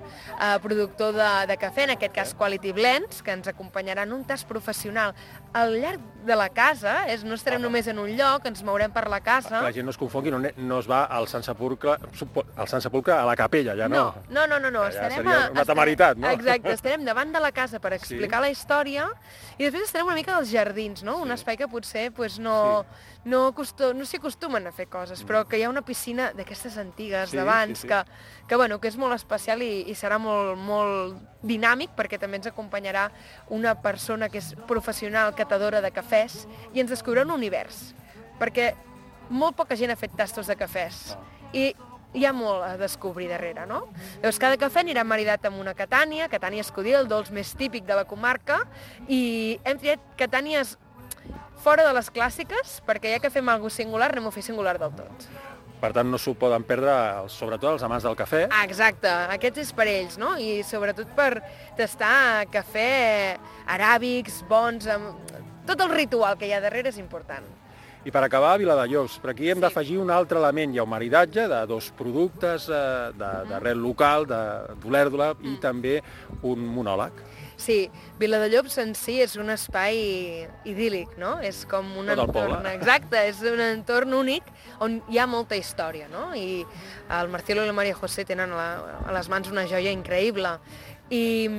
productor de cafè, en aquest cas Quality Blends, que ens acompanyarà en un tast professional al llarg de la casa, no estarem només en un lloc, ens mourem per la casa.
La gent no es confongui, no es va al Sant Sepulcre a la capella, ja no.
No,
ja seria una temeritat, no?
Exacte, estarem davant de la casa per explicar la història i després estarem una mica als jardins, no? Un espai que potser no s'hi acostumen a fer coses, però que hi ha una piscina d'aquestes antigues d'abans que és molt especial i serà molt dinàmic perquè també ens acompanyarà una persona que és professional catadora de cafès i ens descobrirà un univers, perquè molt poca gent ha fet tastos de cafès i hi ha molt a descobrir darrere, no? Llavors, cada cafè anirà maridat amb una catània escudil, el dolç més típic de la comarca, i hem triat catànies fora de les clàssiques, perquè ja que fem alguna cosa singular, anem a fer singular del tot.
Per tant, no s'ho poden perdre, sobretot els amants del cafè.
Exacte, aquest és per ells, no? I sobretot per tastar cafè aràbics, bons, tot el ritual que hi ha darrere és important.
I per acabar, a Viladellobs, per aquí hem d'afegir un altre element. Hi ha un maridatge de dos productes d'arrel local, d'olèrdola, i també un monòleg.
Sí, Viladellobs en si és un espai idíl·lic, no? És com un entorn... Exacte, és un entorn únic on hi ha molta història, no? I el Marcelo i la Maria José tenen a les mans una joia increïble. I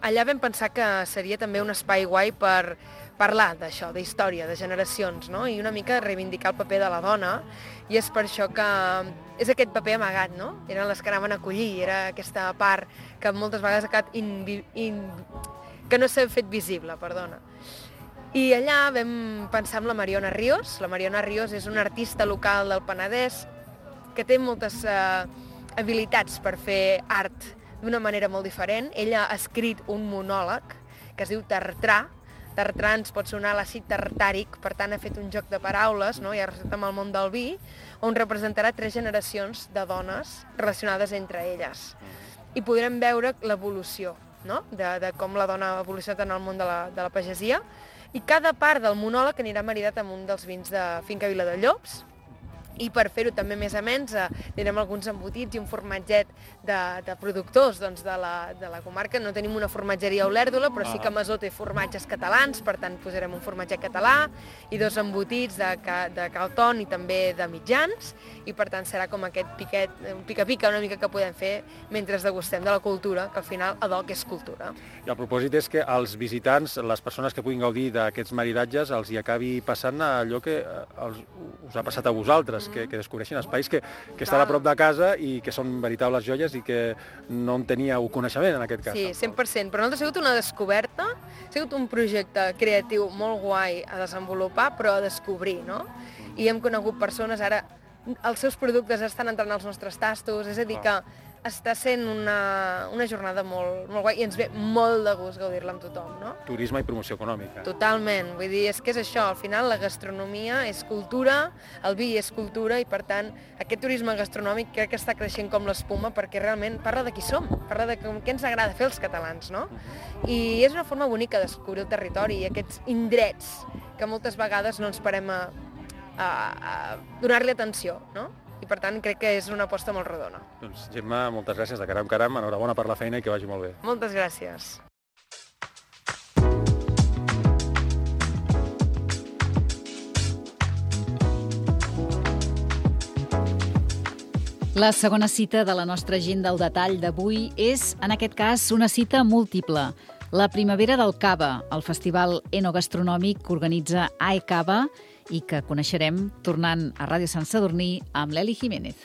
allà vam pensar que seria també un espai guai per parlar d'això, d'història, de generacions, no? I una mica reivindicar el paper de la dona, i és per això que és aquest paper amagat, no? Eren les que anaven a acollir, era aquesta part que moltes vegades ha quedat que no s'ha fet visible, perdona. I allà vam pensar en la Mariona Ríos. La Mariona Ríos és una artista local del Penedès que té moltes habilitats per fer art d'una manera molt diferent. Ella ha escrit un monòleg que es diu Tartrà. Tartrà ens pot sonar l'àcid tartàric, per tant ha fet un joc de paraules, no? I ha relacionat amb el món del vi, on representarà 3 generacions de dones relacionades entre elles. I podrem veure l'evolució, no? De com la dona ha evolucionat en el món de la pagesia, i cada part del monòleg anirà maridat amb un dels vins de Finca Viladellobs, i per fer-ho també més amens tindrem alguns embotits i un formatget de productors de la comarca. No tenim una formatgeria a Olèrdola, però sí que Masó té formatges catalans, per tant posarem un formatget català i 2 embotits de Calton i també de mitjans, i per tant serà com aquest pica-pica una mica que podem fer mentre degustem de la cultura, que al final adoc és cultura.
I el propòsit és que els visitants, les persones que puguin gaudir d'aquests maridatges, els hi acabi passant allò que us ha passat a vosaltres, que descobreixin espais que estan a prop de casa i que són veritables joies i que no en teníeu coneixement, en aquest cas.
Sí, 100%. Per nosaltres ha sigut una descoberta, ha sigut un projecte creatiu molt guai a desenvolupar, però a descobrir, no? I hem conegut persones, ara els seus productes estan entrant als nostres tastos, és a dir que està sent una jornada molt guai i ens ve molt de gust gaudir-la amb tothom, no?
Turisme i promoció econòmica.
Totalment, vull dir, és que és això, al final la gastronomia és cultura, el vi és cultura, i per tant aquest turisme gastronòmic crec que està creixent com l'espuma perquè realment parla de qui som, parla de què ens agrada fer els catalans, no? I és una forma bonica de descobrir el territori i aquests indrets que moltes vegades no ens parem a donar-li atenció, no? I per tant crec que és una aposta molt rodona.
Doncs Gemma, moltes gràcies, de caram, enhorabona per la feina i que vagi molt bé.
Moltes gràcies.
La segona cita de la nostra agenda al detall d'avui és, en aquest cas, una cita múltiple. La Primavera del Cava, el festival enogastronòmic que organitza AECAVA i que coneixerem tornant a Ràdio Sant Sadurní amb l'Eli Jiménez.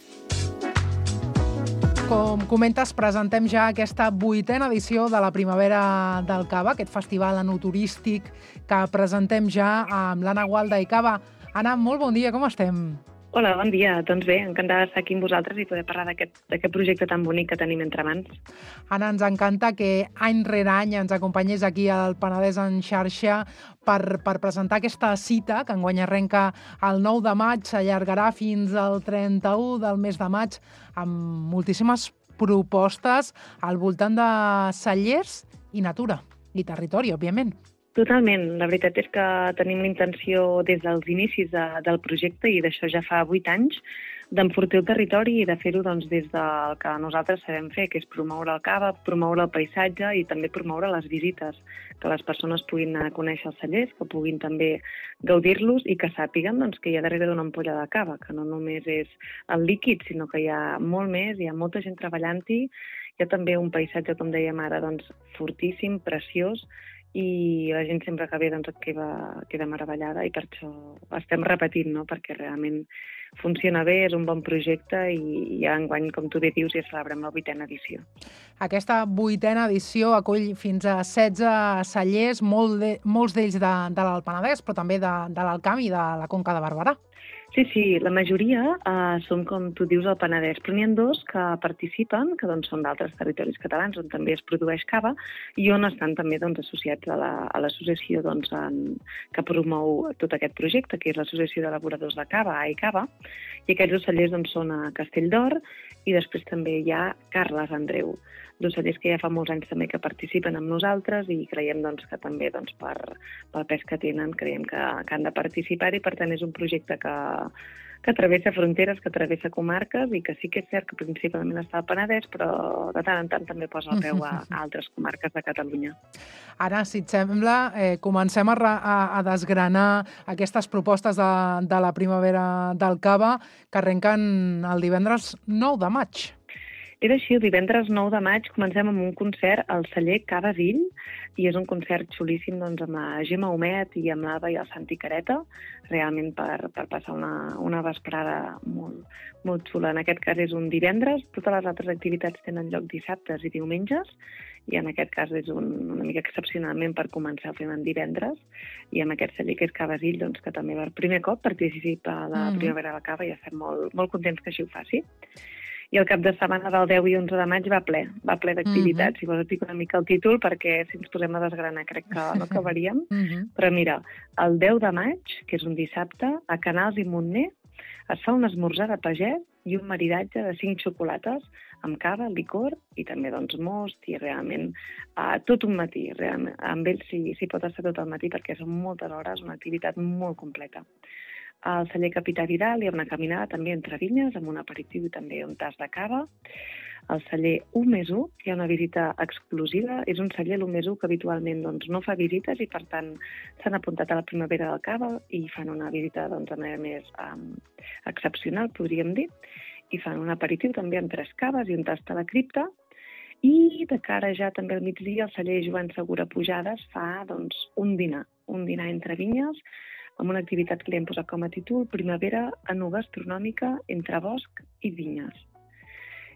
Com comentes, presentem ja aquesta 8a edició de la Primavera del Cava, aquest festival enoturístic que presentem ja amb l'Anna Gualda i Cava. Anna, molt bon dia, com estem?
Hola, bon dia. Doncs bé, encantada d'estar aquí amb vosaltres i poder parlar d'aquest projecte tan bonic que tenim entre mans.
Anna, ens encanta que any rere any ens acompanyés aquí al Penedès en xarxa per presentar aquesta cita que enguany arrenca el 9 de maig, s'allargarà fins al 31 del mes de maig amb moltíssimes propostes al voltant de cellers i natura i territori, òbviament.
Totalment. La veritat és que tenim la intenció des dels inicis del projecte i d'això ja fa 8 anys d'enfortir el territori i de fer-ho des del que nosaltres sabem fer, que és promoure el cava, promoure el paisatge i també promoure les visites, que les persones puguin anar a conèixer els cellers, que puguin també gaudir-los i que sàpiguen que hi ha darrere d'una ampolla de cava, que no només és el líquid, sinó que hi ha molt més, hi ha molta gent treballant-hi, hi ha també un paisatge, com dèiem ara, fortíssim, preciós, i la gent sempre que ve queda meravellada i per això estem repetint, no? Perquè realment funciona bé, és un bon projecte i ja enguany, com tu bé dius, ja celebrem la 8a edició.
Aquesta 8a edició acull fins a 16 cellers, molts d'ells de l'Alt Penedès, però també de l'Alt Camp i de la Conca de Barberà.
Sí, la majoria són, com tu dius, al Penedès, però n'hi ha 2 que participen, que són d'altres territoris catalans, on també es produeix cava, i on estan també associats a l'associació que promou tot aquest projecte, que és l'Associació d'Elaboradors de Cava, AECAVA, i aquests 2 cellers són a Castelldor, i després també hi ha Carles Andreu, 2 cellers que ja fa molts anys també que participen amb nosaltres i creiem que també pel pes que tenen creiem que han de participar i per tant és un projecte que travessa fronteres, que travessa comarques i que sí que és cert que principalment està al Penedès, però de tant en tant també posa el peu a altres comarques de Catalunya.
Ara, si et sembla, comencem a desgranar aquestes propostes de la Primavera del Cava que arrenquen el divendres 9 de maig.
És així, el divendres 9 de maig comencem amb un concert al celler Cava Vill i és un concert xulíssim amb la Gemma Humet i amb l'Ava i el Santi Careta, realment per passar una vesprada molt xula. En aquest cas és un divendres, totes les altres activitats tenen lloc dissabtes i diumenges i en aquest cas és una mica excepcionalment per començar fent en divendres i amb aquest celler que és Cava Vill, que també per primer cop participa a la Primavera del Cava i estem molt contents que així ho faci. I el cap de setmana del 10 i 11 de maig va ple d'activitats. Si vols et dic una mica el títol, perquè si ens posem a desgranar crec que no acabaríem. Però mira, el 10 de maig, que és un dissabte, a Canals i Montner, es fa un esmorzar de pagès i un maridatge de 5 xocolates amb cava, licor i també most i realment tot un matí. Realment, amb ells s'hi pot estar tot el matí perquè són moltes hores, una activitat molt completa. Al celler Capità Vidal hi ha una caminada també entre vinyes amb un aperitiu i també un tas de cava. Al celler 1+1 hi ha una visita exclusiva. És un celler, l'1+1, que habitualment no fa visites i per tant s'han apuntat a la Primavera del Cava i fan una visita de manera més excepcional, podríem dir. I fan un aperitiu també amb 3 caves i un tas de la cripta. I de cara ja també al migdia el celler Joan Segura Pujades fa un dinar entre vinyes amb una activitat que li hem posat com a títol Primavera enogastronòmica entre bosc i vinyes.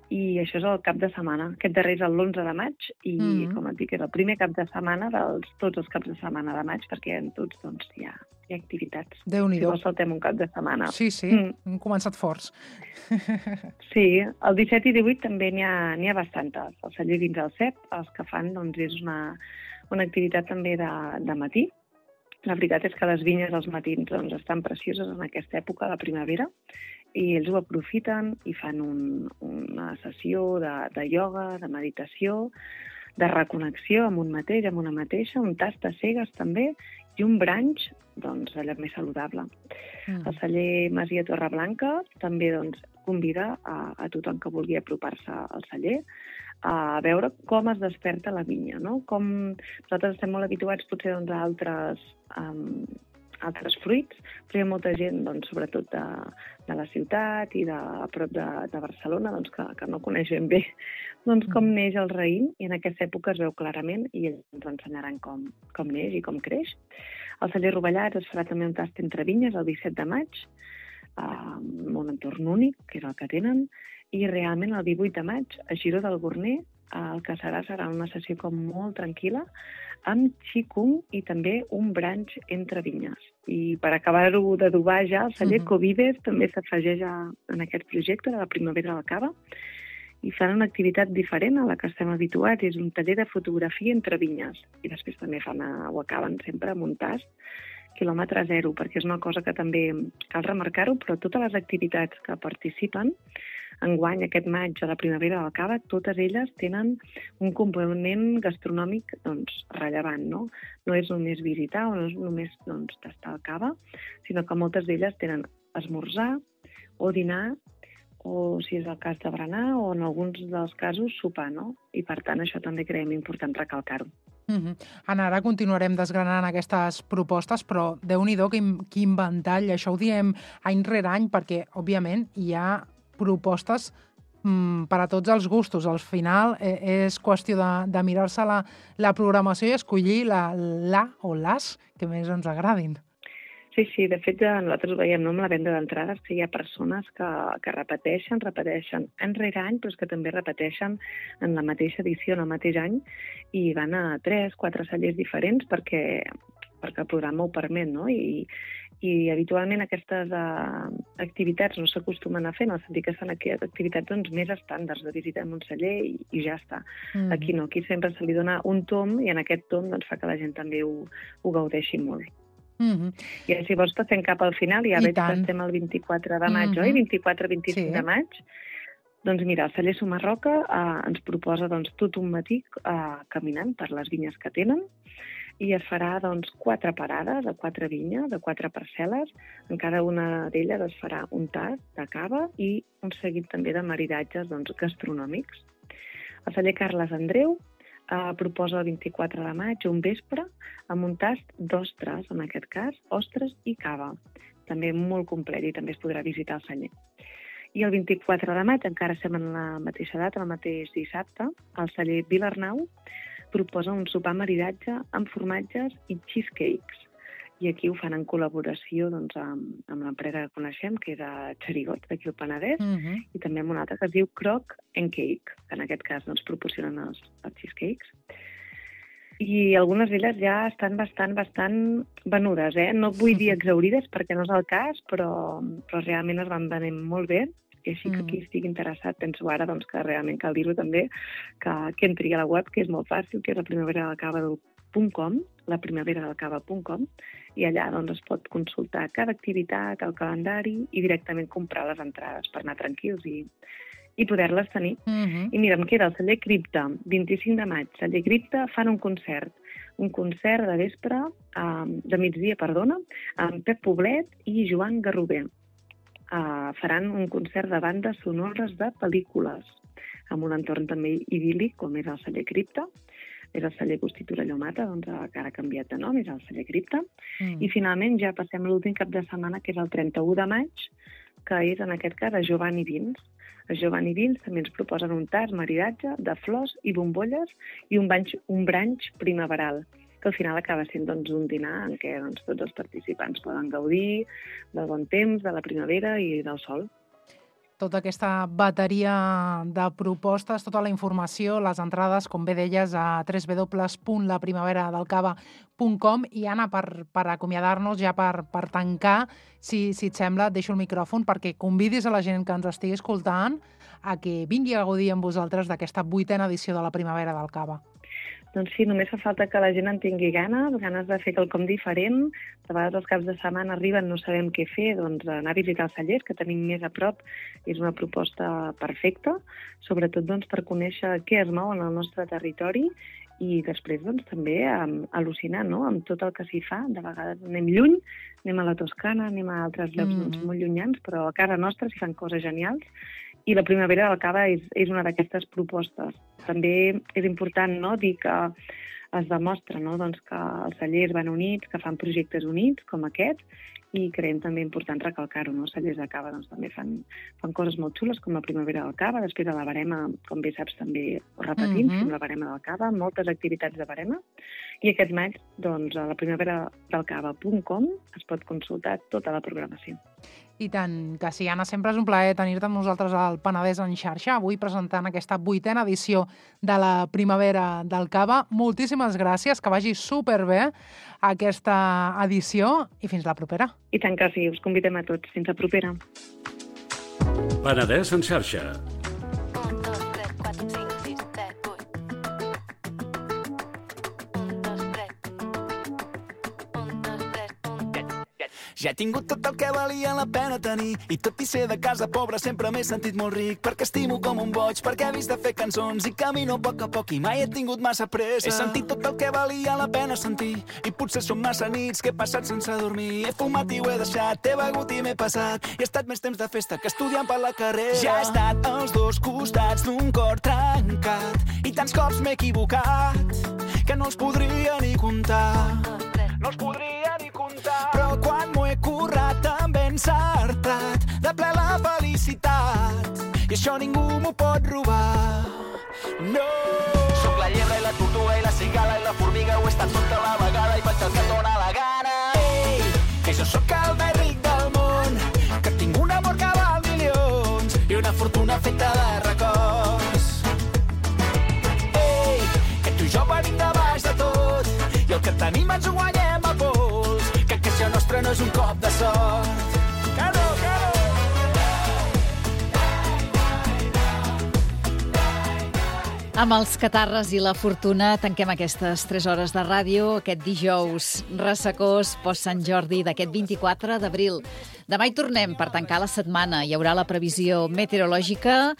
I això és el cap de setmana. Aquest darrer és l'11 de maig i, com et dic, és el primer cap de setmana tots els caps de setmana de maig perquè en tots hi ha activitats.
Déu-n'hi-do.
Si vols saltem un cap de setmana.
Sí, hem començat forts.
Sí, el 17 i 18 també n'hi ha bastantes. El celler dins el CEP, els que fan és una activitat també de matí. La veritat és que les vinyes als matins estan precioses en aquesta època de primavera i ells ho aprofiten i fan una sessió de ioga, de meditació, de reconnexió amb un mateix, amb una mateixa, un tast de cegues també i un brunch allò més saludable. El celler Masia Torreblanca també convida a tothom que vulgui apropar-se al celler a veure com es desperta la vinya, no? Com nosaltres estem molt habituats potser a altres fruits, però hi ha molta gent, doncs, sobretot de la ciutat i a prop de Barcelona, doncs, que no coneix ben bé doncs, com neix el raïm, i en aquesta època es veu clarament, i ells ens ensenyaran com neix i com creix. Al celler Rovellats es farà també un tast entre vinyes el 17 de maig, amb un entorn únic, que és el que tenen, i realment el 18 de maig, a Giró del Gorner, el que serà una sessió com molt tranquil·la, amb xicung i també un branch entre vinyes. I per acabar-ho d'adobar ja, el celler Covides també s'afegeix en aquest projecte de la primavera del cava, i fan una activitat diferent a la que estem habituats, és un taller de fotografia entre vinyes. I després també ho acaben sempre amb un tast, quilòmetre zero, perquè és una cosa que també cal remarcar-ho, però totes les activitats que participen, enguany, aquest maig, a la primavera del cava, totes elles tenen un component gastronòmic rellevant, no? No és només visitar o no és només tastar el cava, sinó que moltes d'elles tenen esmorzar o dinar, o si és el cas de berenar, o en alguns dels casos sopar, no? I per tant això també creiem important recalcar-ho.
Anna, ara continuarem desgranant aquestes propostes, però Déu-n'hi-do quin ventall, això ho diem any rere any, perquè òbviament hi ha propostes per a tots els gustos. Al final és qüestió de mirar-se la programació i escollir la o les que més ens agradin.
Sí, de fet nosaltres ho veiem amb la venda d'entrades, que hi ha persones que repeteixen any rere any, però que també repeteixen en la mateixa edició, en el mateix any, i van a 3-4 cellers diferents perquè el programa ho permet, no? I habitualment aquestes activitats no s'acostumen a fer, en el sentit que són activitats més estàndards, de visitar un celler i ja està. Aquí no, aquí sempre se li dona un tom i en aquest tom fa que la gent també ho gaudeixi molt. I si vols passem cap al final, ja veig que estem el 24 de maig, oi? 24-25 de maig. Doncs mira, el celler Sumarroca ens proposa tot un matí caminant per les vinyes que tenen, i es farà 4 parades a 4 vinyes, de 4 parcel·les. En cada una d'elles es farà un tast de cava i un seguit també de maridatges gastronòmics. El celler Carles Andreu proposa el 24 de maig un vespre amb un tast d'ostres, en aquest cas, ostres i cava. També molt complet i també es podrà visitar el celler. I el 24 de maig, encara estem en la mateixa data, el mateix dissabte, el celler Vilarnau proposa un sopar maridatge amb formatges i cheesecakes. I aquí ho fan en col·laboració amb l'empresa que coneixem, que és a Xerigot, d'aquí al Penedès, i també amb una altra que es diu Croc and Cake, que en aquest cas proporcionen els cheesecakes. I algunes d'elles ja estan bastant venudes, No vull dir exhaurides perquè no és el cas, però realment es van venent molt bé. I així que qui estigui interessat, penso ara que realment cal dir-ho també, que entri a la web, que és molt fàcil, que és laprimaveradalcava.com, i allà es pot consultar cada activitat, el calendari i directament comprar les entrades per anar tranquils i poder-les tenir. I mira, em queda el celler Cripta, 25 de maig. Celler Cripta fan un concert de vespre, de migdia, amb Pep Poblet i Joan Garrover. Faran un concert de bandes sonores de pel·lícules, amb un entorn també idíl·lic, com és el celler Cripta. És el celler Agustí Torelló Mata, que ara ha canviat de nom, és el celler Cripta. I finalment ja passem l'últim cap de setmana, que és el 31 de maig, que és en aquest cas a Giovanni Vins. A Giovanni Vins també ens proposen un tast maridatge de flors i bombolles i un branch primaveral, que al final acaba sent un dinar en què tots els participants poden gaudir del bon temps, de la primavera i del sol.
Tota aquesta bateria de propostes, tota la informació, les entrades, com bé deies, a www.laprimaveradalcava.com. I Anna, per acomiadar-nos, ja per tancar, si et sembla, et deixo el micròfon perquè convidis a la gent que ens estigui escoltant a que vingui a gaudir amb vosaltres d'aquesta 8a edició de la Primavera del Cava.
Doncs sí, només fa falta que la gent en tingui ganes de fer quelcom diferent. De vegades els caps de setmana arriben, no sabem què fer, anar a visitar els cellers, que tenim més a prop, és una proposta perfecta, sobretot per conèixer què es mou en el nostre territori i després també al·lucinar amb tot el que s'hi fa. De vegades anem lluny, anem a la Toscana, anem a altres llocs molt llunyans, però a casa nostra s'hi fan coses genials. I la Primavera del Cava és una d'aquestes propostes. També és important dir que es demostra, no?, doncs que els cellers van units, que fan projectes units com aquest, i creiem també important recalcar-ho, no? Els cellers de cava doncs, també fan coses molt xules, com la primavera del cava, després a la Barema, com bé saps, també ho repetim, fem la Barema del cava, moltes activitats de Barema, i aquest maig, doncs, a la primaveradelcava.com es pot consultar tota la programació.
I tant, que sí, Anna, sempre és un plaer tenir-te amb nosaltres al Penedès en xarxa, avui presentant aquesta 8a edició de la Primavera del Cava. Moltíssimes gràcies, que vagi superbé aquesta edició i fins la propera.
I tant que sí, us convidem a tots. Fins la propera.
Penedès en xarxa.
Ja he tingut tot el que valia la pena tenir i tot i ser de casa pobra sempre m'he sentit molt ric perquè estimo com un boig, perquè he vist de fer cançons i camino a poc i mai he tingut massa pressa. He sentit tot el que valia la pena sentir i potser són massa nits que he passat sense dormir. He fumat i ho he deixat, he begut i m'he passat i he estat més temps de festa que estudiant per la carrera. Ja he estat als dos costats d'un cor trencat i tants cops m'he equivocat que no els podria ni comptar. No els podria ni comptar. Però quan m'ho he currat també encertat de ple la felicitat i això ningú m'ho pot robar. No! Soc la llebre i la tortuga i la cigala i la formiga, ho he estat tota la vegada i faig el que dóna la gana. Ei, que jo sóc el més ric del món, que tinc un amor que val milions i una fortuna feta de records. Ei, que tu i jo venim de baix de tot i el que tenim ens ho guanyem a pols, que això nostre no és un cop de sort. Que no, que no!
Amb els catarres i la fortuna tanquem aquestes 3 hores de ràdio aquest dijous ressecós post-Sant Jordi d'aquest 24 d'abril. Demà hi tornem per tancar la setmana. Hi haurà la previsió meteorològica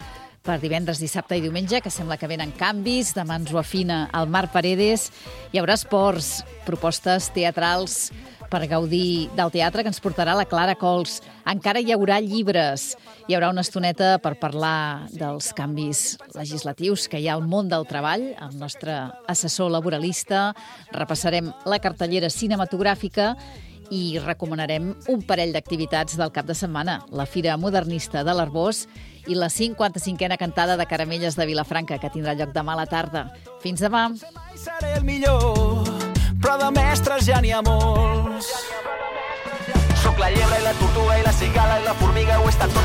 per divendres, dissabte i diumenge, que sembla que venen canvis. Demà ens ho afina el Marc Paredes. Hi haurà esports, propostes teatrals per gaudir del teatre que ens portarà la Clara Cols. Encara hi haurà llibres. Hi haurà una estoneta per parlar dels canvis legislatius que hi ha al món del treball, el nostre assessor laboralista. Repassarem la cartellera cinematogràfica i recomanarem un parell d'activitats del cap de setmana. La Fira Modernista de l'Arbós i la 55a cantada de Caramelles de Vilafranca, que tindrà lloc demà a la tarda. Fins demà.
Seré el millor, però de mestres ja n'hi ha molts. Soc la llebre i la tortuga i la cigala i la formiga, ho he estat tot